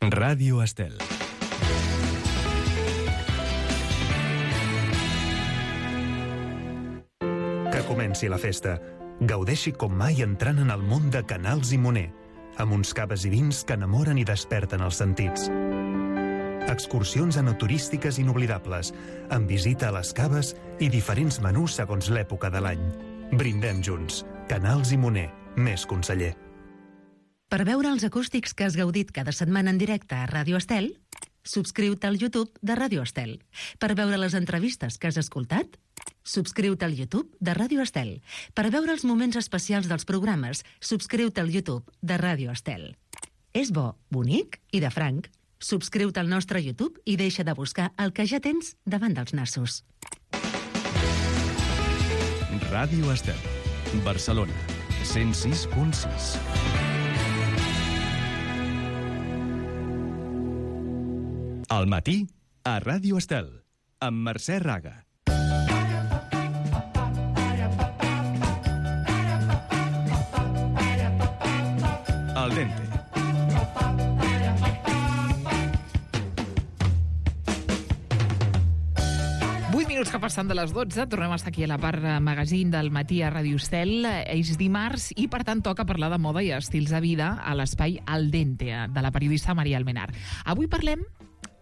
Ràdio Estel. Que comenci la festa. Gaudeixi com mai entrant en el món de Canals i Moner, amb uns caves i vins que enamoren i desperten els sentits. Excursions enoturístiques inoblidables, amb visita a les caves i diferents menús segons l'època de l'any. Brindem junts. Canals i Moner, més conseller. Per veure els acústics que has gaudit cada setmana en directe a Ràdio Estel, subscriu-te al YouTube de Ràdio Estel. Per veure les entrevistes que has escoltat, subscriu-te al YouTube de Ràdio Estel. Per veure els moments especials dels programes, subscriu-te al YouTube de Ràdio Estel. És bo, bonic i de franc. Subscriu-te al nostre YouTube i deixa de buscar el que ja tens davant dels nassos. Ràdio Estel, Barcelona, 106.6. Al matí, a Ràdio Estel, amb Mercè Raga. Al dente. Minuts que passen de les 12, tornem a estar aquí a la part magazine del matí a Ràdio Estel. És dimarts i, per tant, toca parlar de moda i estils de vida a l'espai Al Dente, de la periodista Maria Almenar. Avui parlem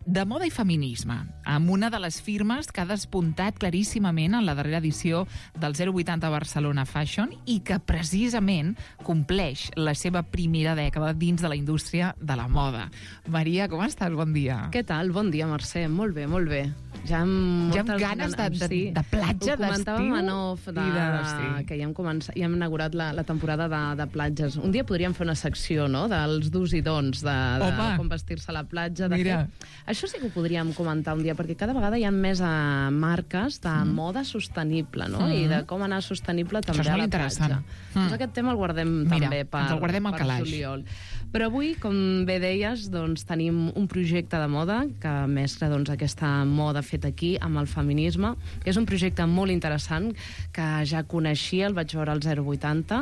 de moda i feminisme, amb una de les firmes que ha despuntat claríssimament en la darrera edició del 080 Barcelona Fashion i que precisament compleix la seva primera dècada dins de la indústria de la moda. Maria, com estàs? Bon dia. Què tal? Bon dia, Mercè. Molt bé, molt bé. Ja amb ganes de platja, d'estiu. Ho comentàvem en off, que ja hem inaugurat la temporada de platges. Un dia podríem fer una secció, no?, dels dos i dons, de com vestir-se a la platja. Això sí que ho podríem comentar un dia, perquè cada vegada hi ha més marques de moda sostenible, no?, i de com anar sostenible també a la platja. Doncs aquest tema el guardem també per juliol. Però avui, com bé deies, doncs, tenim un projecte de moda que mescla aquesta moda feta aquí amb el feminisme. És un projecte molt interessant que ja coneixia, el vaig veure al 080,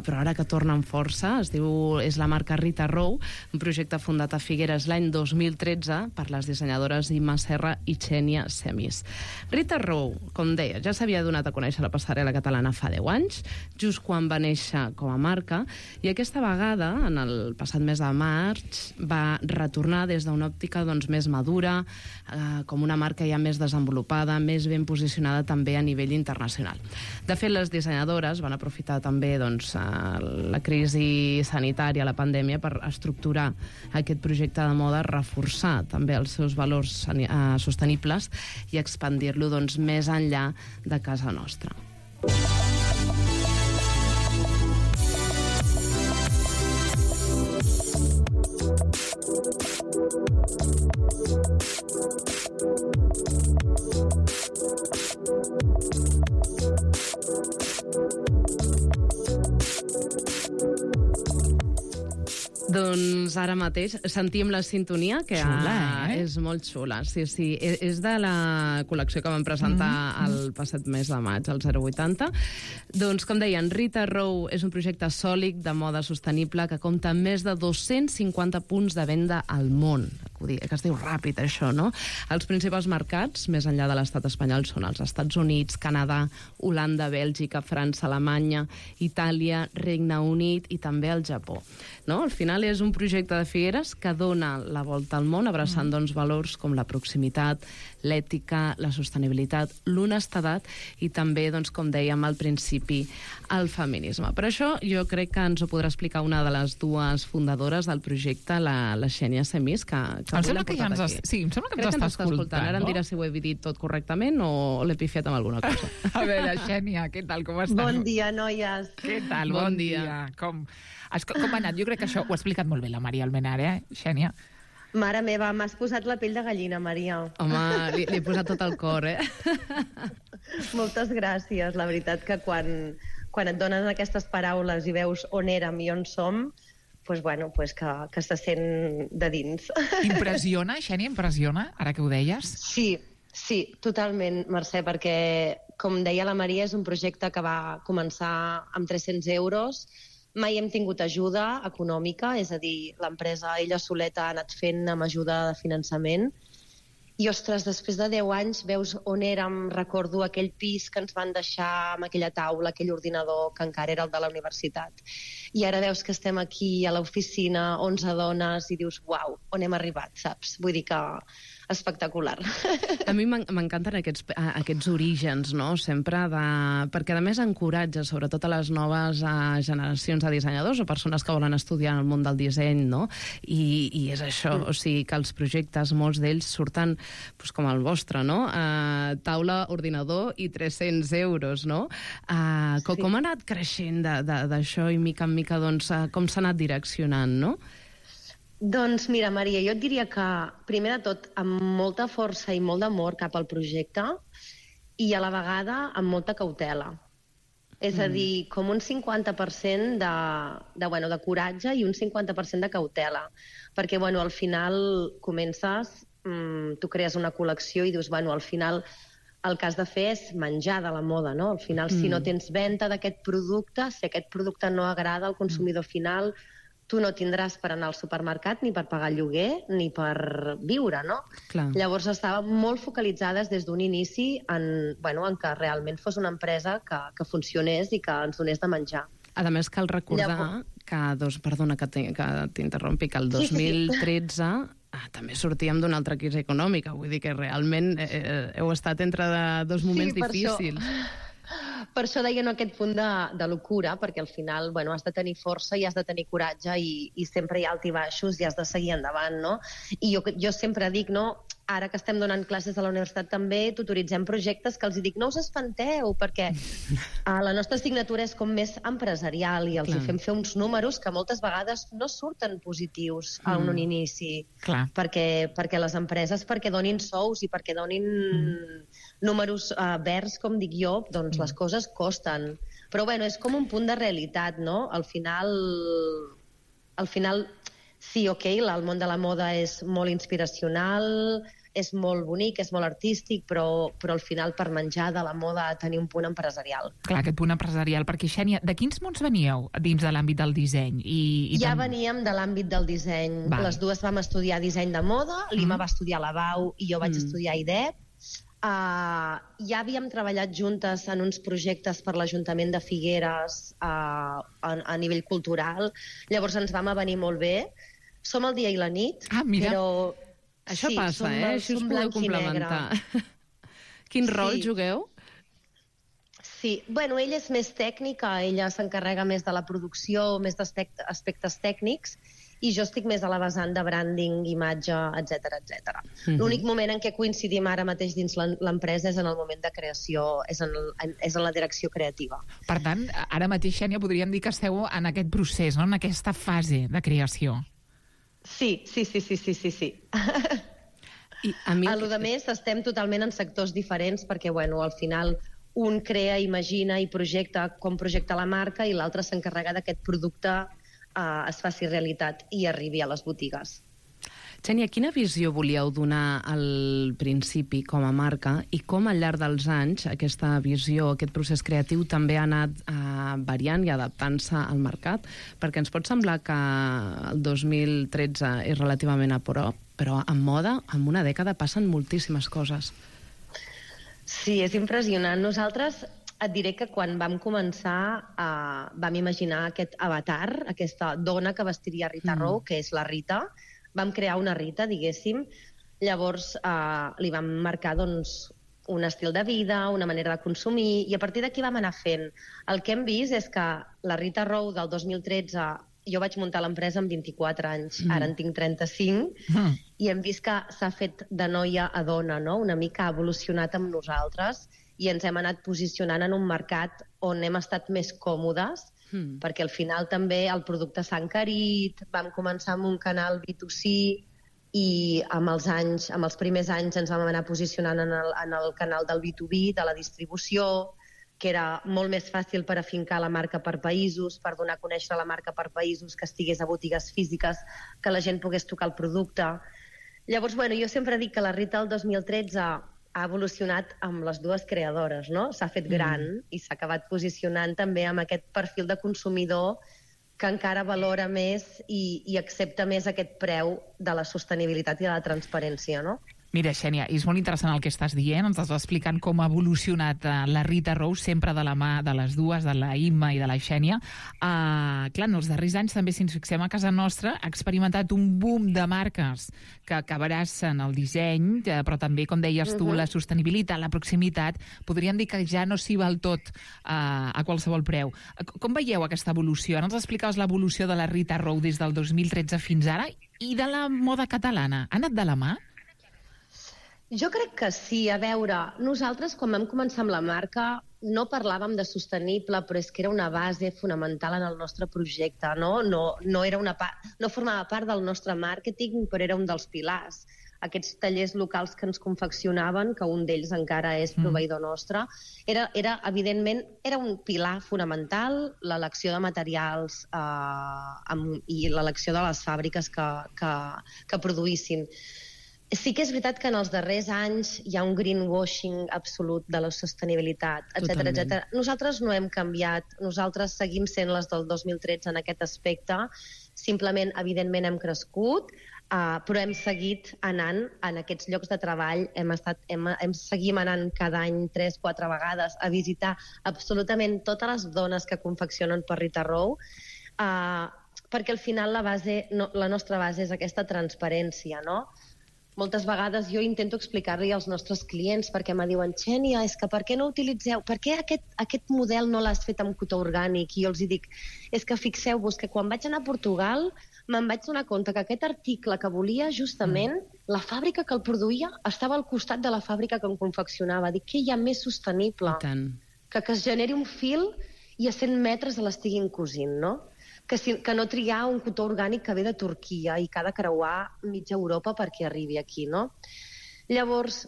però ara que torna amb força. És la marca Rita Row, un projecte fundat a Figueres l'any 2013 per les dissenyadores Imma Serra i Xènia Semis. Rita Row, com deia, ja s'havia donat a conèixer la passarel·la catalana fa 10 anys, just quan va néixer com a marca, i aquesta vegada, en el passat mes de maig, va retornar des d'una òptica més madura, com una marca ja més desenvolupada, més ben posicionada també a nivell internacional. De fet, les dissenyadores van aprofitar també la crisi sanitària, la pandèmia, per estructurar aquest projecte de moda, reforçar també els seus valors sostenibles i expandir-lo més enllà de casa nostra. Doncs ara mateix sentim la sintonia, que és molt xula. Sí, és de la col·lecció que vam presentar el passat mes de maig, el 080. Doncs, com deien, Rita Row és un projecte sòlid de moda sostenible que compta amb més de 250 punts de venda al món. Que es diu ràpid, això, no? Els principals mercats, més enllà de l'estat espanyol, són els Estats Units, Canadà, Holanda, Bèlgica, França, Alemanya, Itàlia, Regne Unit i també el Japó. No? Al final és un projecte de Figueres que dona la volta al món abraçant valors com la proximitat, l'ètica, la sostenibilitat, l'honestedat i també, com dèiem al principi, el feminisme. Per això jo crec que ens ho podrà explicar una de les dues fundadores del projecte, la Xènia Semis, que em sembla que ja ens està escoltant. Ara em dirà si ho he dit tot correctament o l'he pifiat amb alguna cosa. A veure, Xènia, què tal, com estàs? Bon dia, noies. Què tal? Bon dia. Com ha anat? Jo crec que això ho ha explicat molt bé la Maria Almenar, Xènia? Mare meva, m'has posat la pell de gallina, Maria. Home, li he posat tot el cor, Moltes gràcies. La veritat que quan et donen aquestes paraules i veus on érem i on som, que se sent de dins. Impressiona, Xènia, ara que ho deies? Sí, totalment, Mercè, perquè, com deia la Maria, és un projecte que va començar amb 300 euros, mai hem tingut ajuda econòmica, és a dir, l'empresa ella soleta ha anat fent amb ajuda de finançament. I, ostres, després de 10 anys veus on érem, recordo aquell pis que ens van deixar amb aquella taula, aquell ordinador que encara era el de la universitat. I ara veus que estem aquí a l'oficina, 11 dones, i dius, uau, on hem arribat, saps? Vull dir que espectacular. A mi m'encanten aquests orígens, no? Sempre perquè, a més, encoratja, sobretot a les noves generacions de dissenyadors o persones que volen estudiar el món del disseny, no? I és això, o sigui, que els projectes, molts d'ells surten com el vostre, no? Taula, ordinador i 300 euros, no? Com ha anat creixent d'això i mica en mica, doncs, com s'ha anat direccionant, no? Doncs mira, Maria, jo et diria que, primer de tot, amb molta força i molt d'amor cap al projecte i a la vegada amb molta cautela. És a dir, com un 50% de coratge i un 50% de cautela. Perquè, al final comences, tu crees una col·lecció i dius, al final el que has de fer és menjar de la moda, no? Al final, si no tens venda d'aquest producte, si aquest producte no agrada al consumidor final, tu no tindràs per anar al supermercat ni per pagar lloguer ni per viure, no? Clar. Llavors estàvem molt focalitzades des d'un inici en que realment fos una empresa que funcionés i que ens donés de menjar. A més, cal recordar perdona que t'interrompi, que el 2013 també sortíem d'una altra crisi econòmica, vull dir que realment heu estat entre dos moments difícils. Per això deia aquest punt de locura, perquè al final has de tenir força i has de tenir coratge i sempre hi ha alt i baixos i has de seguir endavant, no? I jo sempre dic, no, ara que estem donant classes a la universitat també tutoritzem projectes que els dic, no us espanteu, perquè la nostra assignatura és com més empresarial i els fem fer uns números que moltes vegades no surten positius a un inici, perquè les empreses donin sous i perquè donin números verds, com dic jo, doncs les coses costen. Però és com un punt de realitat, no? Al final sí, el món de la moda és molt inspiracional, és molt bonic, és molt artístic, però al final per menjar de la moda ha de tenir un punt empresarial. Clar, aquest punt empresarial, perquè Xènia, de quins mons veníeu dins de l'àmbit del disseny? Ja veníem de l'àmbit del disseny. Les dues vam estudiar disseny de moda, l'Ima va estudiar a la BAU i jo vaig estudiar IDEP. Ja havíem treballat juntes en uns projectes per l'Ajuntament de Figueres a nivell cultural, llavors ens vam avenir molt bé. Som el dia i la nit, però... Això passa, Així us podeu complementar. Quin rol jugueu? Sí, ella és més tècnica, ella s'encarrega més de la producció, més d'aspectes tècnics, i jo estic més a la vessant de branding, imatge, etc. L'únic moment en què coincidim ara mateix dins l'empresa és en el moment de creació, és en la direcció creativa. Per tant, ara mateix, Xènia, podríem dir que esteu en aquest procés, no? En aquesta fase de creació. Sí. A lo de més, estem totalment en sectors diferents perquè, al final, un crea, imagina i projecta com projecta la marca i l'altre s'encarrega d'aquest producte es faci realitat i arribi a les botigues. Xènia, quina visió volíeu donar al principi com a marca i com al llarg dels anys aquesta visió, aquest procés creatiu també ha anat variant i adaptant-se al mercat? Perquè ens pot semblar que el 2013 és relativament a prop, però en moda, en una dècada, passen moltíssimes coses. Sí, és impressionant. Nosaltres et diré que quan vam començar vam imaginar aquest avatar, aquesta dona que vestiria Rita Row, que és la Rita. Vam crear una Rita, diguéssim, llavors li vam marcar un estil de vida, una manera de consumir, i a partir d'aquí vam anar fent. El que hem vist és que la Rita Row del 2013, jo vaig muntar l'empresa amb 24 anys, ara en tinc 35, i hem vist que s'ha fet de noia a dona, no? Una mica ha evolucionat amb nosaltres i ens hem anat posicionant en un mercat on hem estat més còmodes, perquè al final també el producte s'ha encarit, vam començar amb un canal B2C i amb els primers anys ens vam anar posicionant en el canal del B2B, de la distribució, que era molt més fàcil per afincar la marca per països, per donar a conèixer la marca per països, que estigués a botigues físiques, que la gent pogués tocar el producte. Llavors, jo sempre dic que la Rita del 2013 ha evolucionat amb les dues creadores, no? S'ha fet gran i s'ha acabat posicionant també amb aquest perfil de consumidor que encara valora més i accepta més aquest preu de la sostenibilitat i de la transparència, no? Mira, Xènia, és molt interessant el que estàs dient, ens estàs explicant com ha evolucionat la Rita Rose, sempre de la mà de les dues, de la Imma i de la Xènia. Clar, en els darrers anys, també, si ens fixem a casa nostra, ha experimentat un boom de marques que abraçen el disseny, però també, com deies tu, la sostenibilitat, la proximitat. Podríem dir que ja no s'hi val tot a qualsevol preu. Com veieu aquesta evolució? Ara ens explicaves l'evolució de la Rita Rose des del 2013 fins ara i de la moda catalana. Ha anat de la mà? Jo crec que sí. A veure, nosaltres quan vam començar amb la marca no parlàvem de sostenible, però és que era una base fonamental en el nostre projecte, no? No formava part del nostre màrqueting, però era un dels pilars. Aquests tallers locals que ens confeccionaven, que un d'ells encara és proveïdor nostre, evidentment, era un pilar fonamental, l'elecció de materials i l'elecció de les fàbriques que produïssin. Sí que és veritat que en els darrers anys hi ha un greenwashing absolut de la sostenibilitat, etc. Nosaltres no hem canviat, nosaltres seguim sent les del 2013 en aquest aspecte, simplement, evidentment, hem crescut, però hem seguit anant en aquests llocs de treball, seguim anant cada any 3-4 vegades a visitar absolutament totes les dones que confeccionen per Rita Rose, perquè al final la nostra base és aquesta transparència, no? Moltes vegades jo intento explicar-li als nostres clients perquè me diuen, Xènia, és que per què no utilitzeu, per què aquest model no l'has fet amb cotó orgànic? I jo els dic, és que fixeu-vos que quan vaig anar a Portugal me'n vaig donar compte que aquest article que volia justament, la fàbrica que el produïa estava al costat de la fàbrica que en confeccionava. Dic, què hi ha més sostenible? Que es generi un fil i a 100 metres l'estiguin cosint, no? Que no triar un cotó orgànic que ve de Turquia i que ha de creuar mitja Europa perquè arribi aquí, no? Llavors,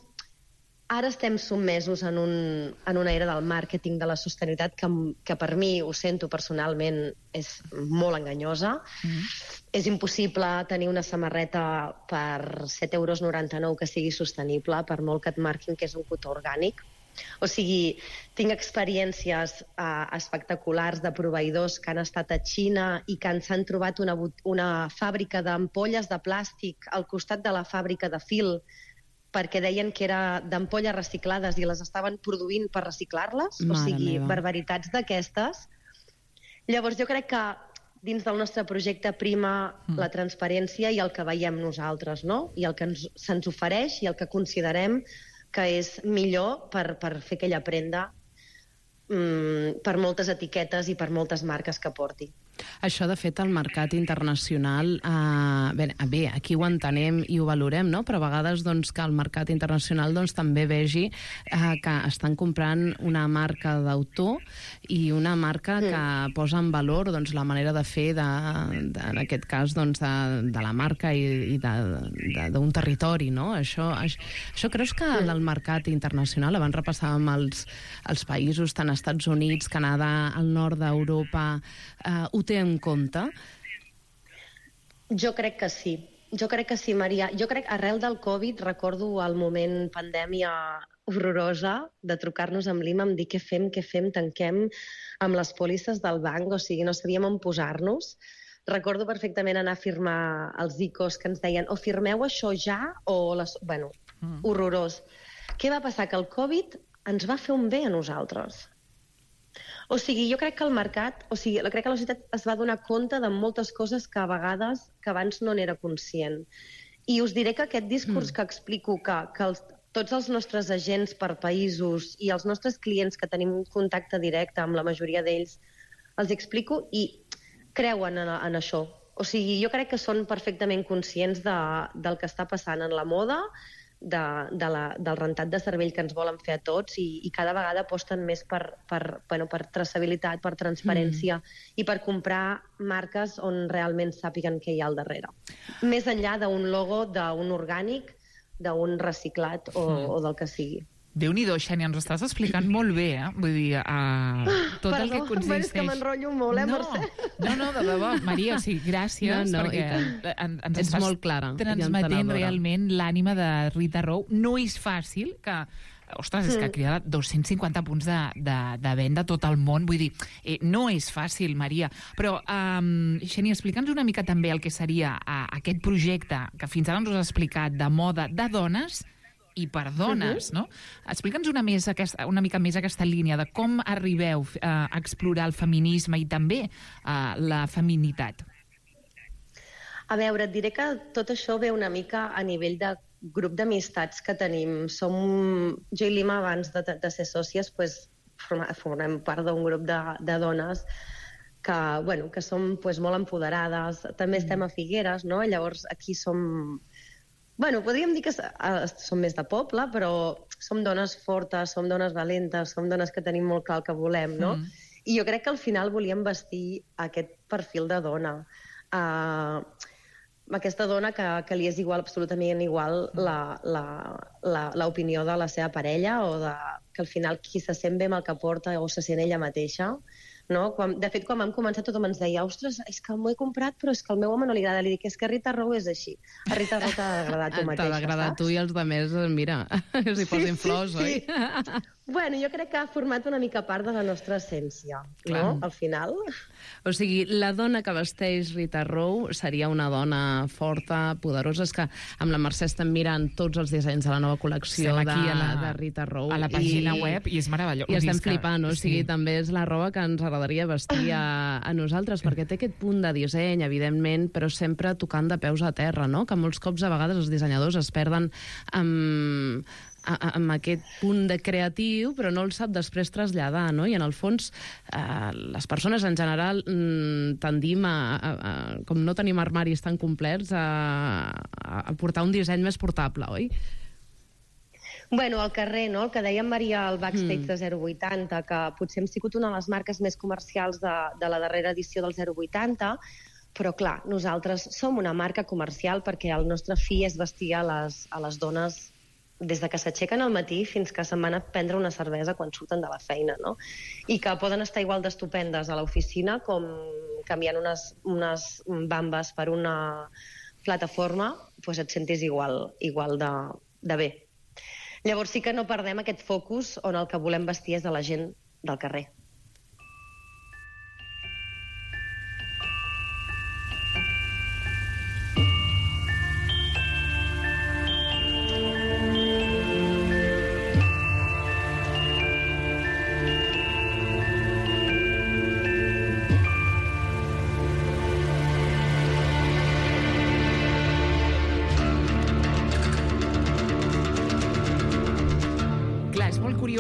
ara estem sotmesos en una era del màrqueting de la sostenibilitat que per mi, ho sento personalment, és molt enganyosa. És impossible tenir una samarreta per 7,99 € que sigui sostenible, per molt que et marquin que és un cotó orgànic. O sigui, tinc experiències espectaculars de proveïdors que han estat a Xina i que s'han trobat una fàbrica d'ampolles de plàstic al costat de la fàbrica de fil perquè deien que era d'ampolles reciclades i les estaven produint per reciclar-les. O sigui, barbaritats d'aquestes. Llavors, jo crec que dins del nostre projecte prima la transparència i el que veiem nosaltres, no? I el que se'ns ofereix i el que considerem que és millor per fer aquella prenda per moltes etiquetes i per moltes marques que porti. Això, de fet, el mercat internacional, bé, aquí ho entenem i ho valorem, no? Però a vegades que el mercat internacional també vegi que estan comprant una marca d'autor i una marca que posa en valor la manera de fer, en aquest cas, de la marca i d'un territori, no? Això creus que el mercat internacional, abans repassàvem els països, tant Estats Units, Canadà, el nord d'Europa, ho té en compte? Jo crec que sí. Jo crec que sí, Maria. Jo crec, arrel del Covid, recordo el moment pandèmia horrorosa de trucar-nos amb l'IMA, em dir què fem, tanquem amb les pòlisses del banc, o sigui, no sabíem on posar-nos. Recordo perfectament anar a firmar els ICOs que ens deien o firmeu això ja o... Bueno, horrorós. Què va passar? Que el Covid ens va fer un bé a nosaltres. O sigui, jo crec que el mercat, crec que la societat es va donar compte de moltes coses que a vegades, que abans no n'era conscient. I us diré que aquest discurs que explico, que tots els nostres agents per països i els nostres clients que tenim un contacte directe amb la majoria d'ells, els explico i creuen en això. O sigui, jo crec que són perfectament conscients del que està passant en la moda, del rentat de cervell que ens volen fer a tots i cada vegada aposten més per traçabilitat, per transparència i per comprar marques on realment sàpiguen què hi ha al darrere. Més enllà d'un logo, d'un orgànic, d'un reciclat o del que sigui. Déu-n'hi-do, Xènia, ens ho estàs explicant molt bé, Vull dir, tot el que consisteix... És que m'enrotllo molt, Mercè? No, de debò, Maria, gràcies, perquè ens estàs transmetent realment l'ànima de Rita Rose. No és fàcil que ostres, és que crida 250 punts de venda a tot el món. Vull dir, no és fàcil, Maria. Però, Xènia, explica'ns una mica també el que seria aquest projecte que fins ara ens has explicat de moda de dones i per dones, no? Explica'ns una mica més aquesta línia de com arribeu a explorar el feminisme i també la feminitat. A veure, et diré que tot això ve una mica a nivell de grup d'amistats que tenim. Jo i l'Ima, abans de ser sòcies, formem part d'un grup de dones que som molt empoderades. També estem a Figueres, no? Llavors, aquí som... podríem dir que som més de poble, però som dones fortes, som dones valentes, som dones que tenim molt clar el que volem, no? I jo crec que al final volíem vestir aquest perfil de dona. Aquesta dona que li és absolutament igual l'opinió de la seva parella o que al final qui se sent bé amb el que porta o se sent ella mateixa. No? De fet, quan vam començar tothom ens deia ostres, és que m'ho he comprat però és que al meu home no li agrada. Li dic, és que Rita Row és així. A Rita Row t'ha d'agradar tu mateixa, t'ha d'agradar tu i els altres, mira, s'hi posin flors, oi? Jo crec que ha format una mica part de la nostra essència, no? Al final. O sigui, la dona que vesteix Rita Row seria una dona forta, poderosa. És que amb la Mercè estem mirant tots els dissenys de la nova col·lecció de Rita Row. A la pàgina web i és meravellós. I estem flipant, no? O sigui, també és la roba que ens agradaria vestir a nosaltres, perquè té aquest punt de disseny, evidentment, però sempre tocant de peus a terra, no? Que molts cops a vegades els dissenyadors es perden amb aquest punt de creatiu, però no el sap després traslladar, no? I en el fons, les persones en general tendim com no tenim armaris tan complets, a portar un disseny més portable, oi? Al carrer, no? El que deia Maria al backstage de 080, que potser hem sigut una de les marques més comercials de la darrera edició del 080, però clar, nosaltres som una marca comercial perquè el nostre fi és vestir a les dones des de que s'aixequen al matí fins que se'n van a prendre una cervesa quan surten de la feina, no? I que poden estar igual d'estupendes a l'oficina com canviant unes bambes per una plataforma, doncs et sentis igual de bé. Llavors sí que no perdem aquest focus on el que volem vestir és de la gent del carrer.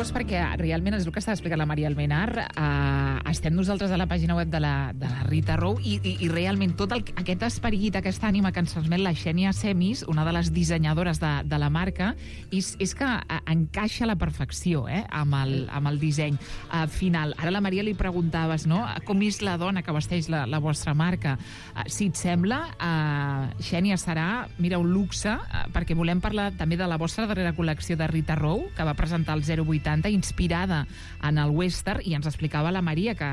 Perquè realment és el que està explicant la Maria Almenar. Estem nosaltres a la pàgina web de la Rita Row i realment tot aquest esperit, aquesta ànima que ens transmet la Xènia Semis, una de les dissenyadores de la marca, és que encaixa a la perfecció amb el disseny final. Ara la Maria li preguntaves, no?, com és la dona que vesteix la vostra marca. Si et sembla, Xènia, serà, mira, un luxe, perquè volem parlar també de la vostra darrera col·lecció de Rita Row, que va presentar el 080, inspirada en el western, i ens explicava la Maria que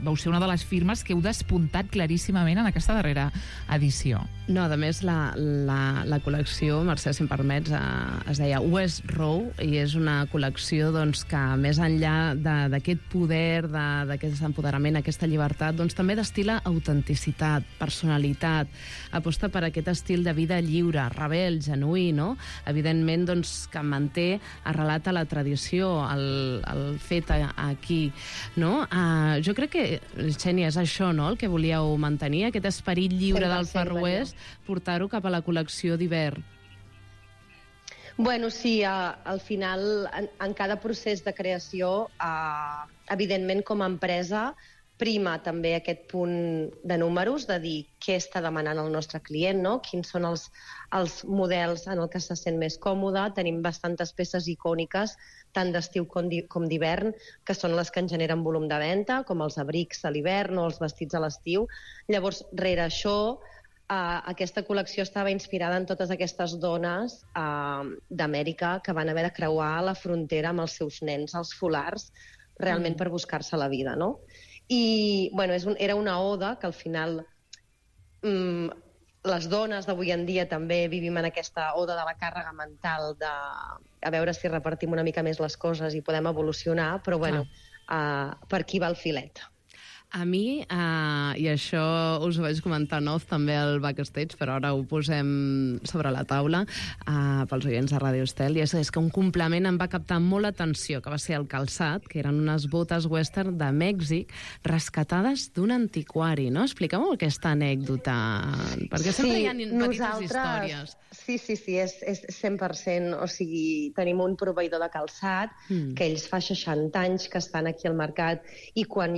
vau ser una de les firmes que heu despuntat claríssimament en aquesta darrera edició. No, a més, la col·lecció, Mercè, si em permets, es deia West Row, i és una col·lecció que, més enllà d'aquest poder, d'aquest empoderament, aquesta llibertat, també destila autenticitat, personalitat, aposta per aquest estil de vida lliure, rebel, genuí, no? Evidentment, que manté arrelat a la tradició, el fet aquí, no? Jo crec que, Xènia, és això, no?, el que volíeu mantenir, aquest esperit lliure del Far West, portar-ho cap a la col·lecció d'hivern. Sí, al final, en cada procés de creació, evidentment, com a empresa, prima també aquest punt de números, de dir què està demanant el nostre client, no? Quins són els models en el que se sent més còmode. Tenim bastantes peces icòniques, tant d'estiu com d'hivern, que són les que en generen volum de venda, com els abrics a l'hivern o els vestits a l'estiu. Llavors, rere això, aquesta col·lecció estava inspirada en totes aquestes dones d'Amèrica que van haver de creuar la frontera amb els seus nens, els folars, realment per buscar-se la vida, no? I era una oda que al final les dones d'avui en dia també vivim en aquesta oda de la càrrega mental de a veure si repartim una mica més les coses i podem evolucionar, però bueno, per aquí va el filet. A mi, i això us ho vaig comentar en off també al backstage, però ara ho posem sobre la taula pels oients de Ràdio Estel, i és que un complement em va captar molt l'atenció, que va ser el calçat, que eren unes botes western de Mèxic rescatades d'un antiquari, no? Expliqueu-me aquesta anècdota, perquè sempre hi ha petites històries. Sí, és 100%, o sigui, tenim un proveïdor de calçat que ells fa 60 anys que estan aquí al mercat, i quan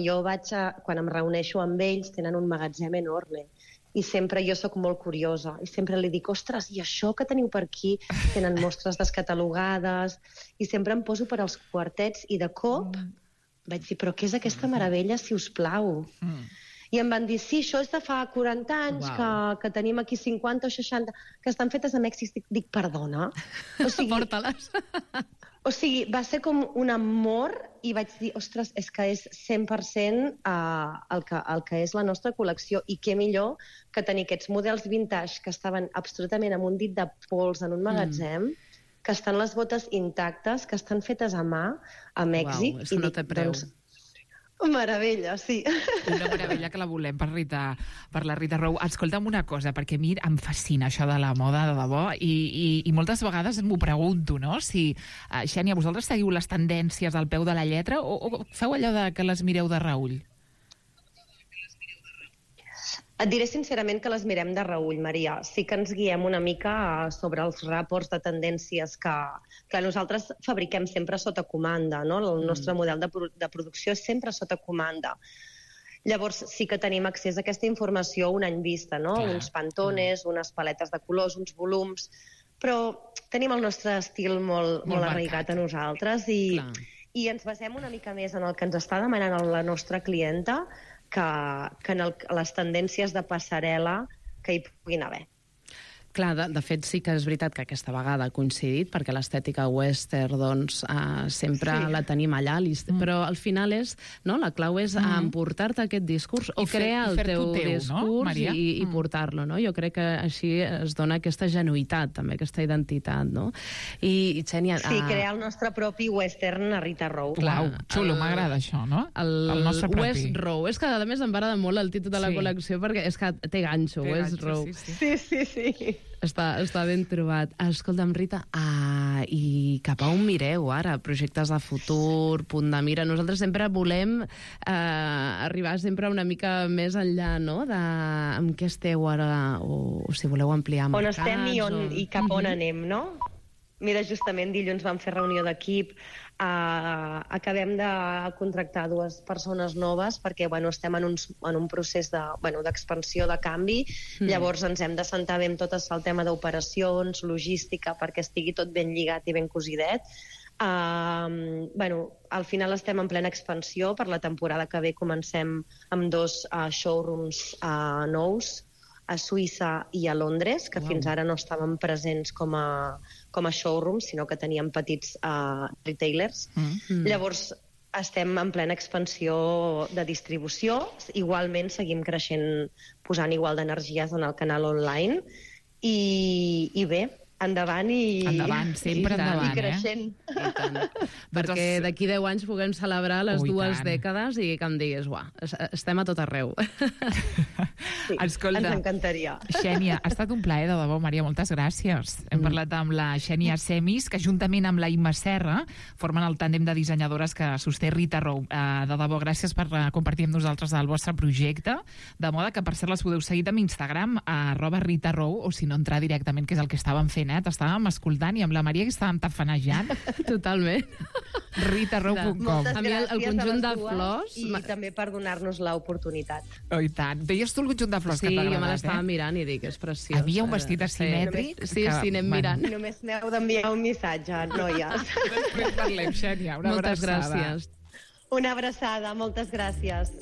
em reuneixo amb ells tenen un magatzem enorme i sempre jo sóc molt curiosa i sempre li dic, ostres, i això que teniu per aquí? Tenen mostres descatalogades i sempre em poso per als quartets i de cop vaig dir, però què és aquesta meravella, si us plau? I em van dir, sí, això és de fa 40 anys, que tenim aquí 50 o 60, que estan fetes a Mèxic. Dic, perdona? O sigui, porta-les. O sigui, va ser com un amor i vaig dir, ostres, és que és 100% el que és la nostra col·lecció, i què millor que tenir aquests models vintage que estaven absolutament amb un dit de pols en un magatzem, que estan les botes intactes, que estan fetes a mà a Mèxic. Uau, és que no té preu. Meravella, sí. Una meravella que la volem per la Rita Row. Escolta'm una cosa, perquè a mi em fascina això de la moda, de debò, i moltes vegades m'ho pregunto, no? Si, Xènia, vosaltres seguiu les tendències al peu de la lletra o feu allò de que les mireu de reüll? Et diré sincerament que les mirem de reüll, Maria. Sí que ens guiem una mica sobre els reports de tendències que nosaltres fabriquem sempre sota comanda, no? El nostre model de producció és sempre sota comanda. Llavors sí que tenim accés a aquesta informació un any vista, no? Uns pantones, unes paletes de colors, uns volums, però tenim el nostre estil molt arraigat a nosaltres i ens basem una mica més en el que ens està demanant la nostra clienta que en les tendències de passarel·la que hi puguin haver. Clar, de fet sí que és veritat que aquesta vegada ha coincidit, perquè l'estètica western doncs, sempre la tenim allà, però al final la clau és emportar-te aquest discurs o crear el teu discurs i portar-lo. No? Jo crec que així es dona aquesta genuïtat, també aquesta identitat. No? I Xènia... Sí, crear el nostre propi western a Rita Row. Uau, xulo, m'agrada això, no? El nostre propi. West Row. És que a més em agrada molt el títol de la col·lecció perquè és que té ganxo, West Row. Sí. Està ben trobat. Escolta'm, Rita, i cap a on mireu ara? Projectes de futur, punt de mira. Nosaltres sempre volem arribar sempre una mica més enllà, no?, de amb què esteu ara, o si voleu ampliar mercats. On estem i cap on anem, no? Mira, justament dilluns vam fer reunió d'equip. Acabem de contractar 2 persones noves perquè estem en un procés d'expansió, de canvi. Llavors ens hem de sentar bé amb tot el tema d'operacions, logística, perquè estigui tot ben lligat i ben cosidet. Al final estem en plena expansió. Per la temporada que ve comencem amb 2 showrooms nous a Suïssa i a Londres, que fins ara no estàvem presents com a showrooms, sinó que teníem petits retailers. Llavors, estem en plena expansió de distribució. Igualment, seguim creixent, posant igual d'energies en el canal online. I bé, endavant sempre endavant, i creixent. I tant. Perquè d'aquí 10 anys puguem celebrar les 2 dècades i que em diguis, estem a tot arreu. Sí, escolta, ens encantaria. Xènia, ha estat un plaer, de debò, Maria, moltes gràcies. Hem parlat amb la Xènia Semis, que juntament amb la Imma Serra formen el tàndem de dissenyadores que sosté Rita Row. De debò, gràcies per compartir amb nosaltres el vostre projecte, de moda que, per cert, les podeu seguir amb Instagram, @RitaRow, o si no, entrar directament, que és el que estàvem fent, t'estàvem escoltant, i amb la Maria que estàvem tafanejant. Totalment. ritarow.com. A mi el conjunt de flors... I també per donar-nos l'oportunitat. Oh, i tant. Veies tu el conjunt de flors que t'ha agradat, jo me l'estava mirant i dic, és preciós. Havia un vestit asimètric. Sí, anem mirant. Només m'heu d'enviar un missatge, noies. Després parlem, Xènia. Una abraçada. Moltes gràcies. Una abraçada, moltes gràcies.